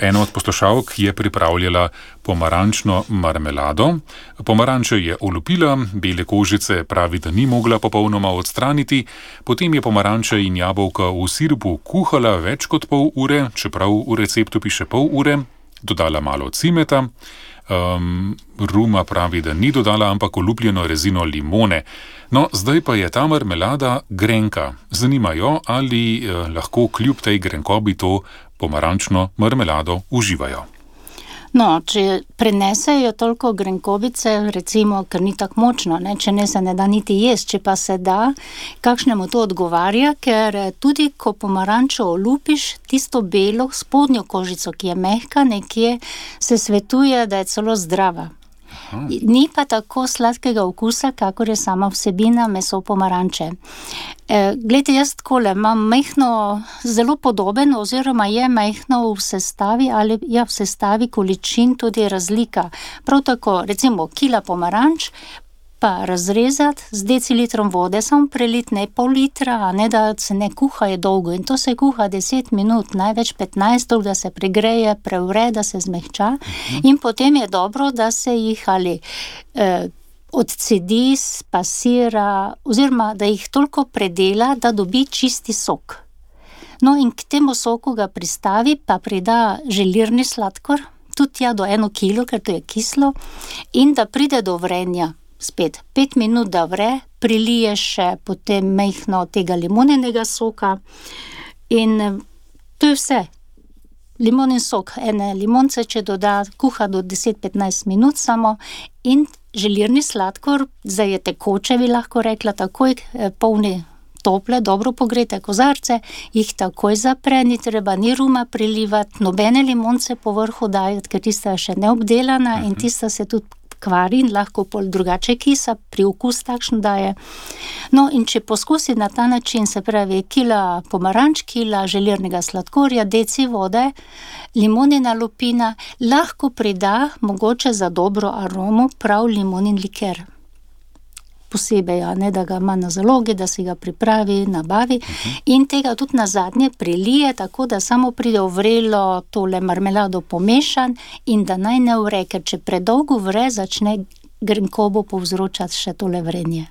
Ena od poslušalk je pripravljala pomarančno marmelado. Pomaranče je olupila, bele kožice pravi, da ni mogla popolnoma odstraniti, potem je pomaranče in jabolka v sirupu kuhala več kot pol ure, čeprav v receptu piše pol ure, dodala malo cimeta, ruma pravi, da ni dodala, ampak olupljeno rezino limone. No, zdaj pa je ta marmelada grenka. Zanima jo, ali lahko kljub tej grenkobi to pomarančno marmelado uživajo. No, če prenesejo toliko grenkobice, recimo, ker ni tako močno, če ne se ne da niti jesti, če pa se da, kakšnemu to odgovarja, ker tudi ko pomarančo olupiš, tisto belo spodnjo kožico, ki je mehka nekje, se svetuje, da je celo zdrava. Ni pa tako sladkega okusa, kakor je sama vsebina meso pomaranče. Glejte, jaz takole imam majhno, zelo podoben oziroma je majhno v sestavi ali v sestavi količin tudi razlika. Prav tako, recimo, kila pomaranč pa razrezati z decilitrom vode, samo prelit ne pol litra, a ne da se ne kuha je dolgo. In to se kuha 10 minut, največ 15, da se pregreje, prevre, da se zmehča. In potem je dobro, da se jih ali odcedi, spasira, oziroma da jih toliko predela, da dobi čisti sok. No in k temu soku ga pristavi, pa prida želirni sladkor, tudi do 1 kilo, ker to je kislo, in da pride do vrenja. Spet 5 minut, da vre, prilije še potem majhno tega limonenega soka in to je vse. Limonin sok, ene limonce, če doda, kuha do 10-15 minut samo in želirni sladkor, zdaj je tekoče, bi lahko rekla, takoj polni tople, dobro pogrete kozarce, jih takoj zapre, ni treba ni ruma prilivati, nobene limonce po vrhu dajati, ker tista je še neobdelana in tista se tudi kvari in lahko pol drugače kisa, pri okus takšen daje. No, in če poskusi na ta način, se pravi, kila pomaranč, kila želirnega sladkorja, deci vode, limonina lupina, lahko prida mogoče za dobro aromo prav limonin liker. Posebej, da ga ima na zalogi, da si ga pripravi, nabavi in tega tudi nazadnje prelije, tako da samo pride v vrelo tole marmelado pomešan in da naj ne vre, ker če predolgo vre, začne grenkobo povzročati še tole vrenje.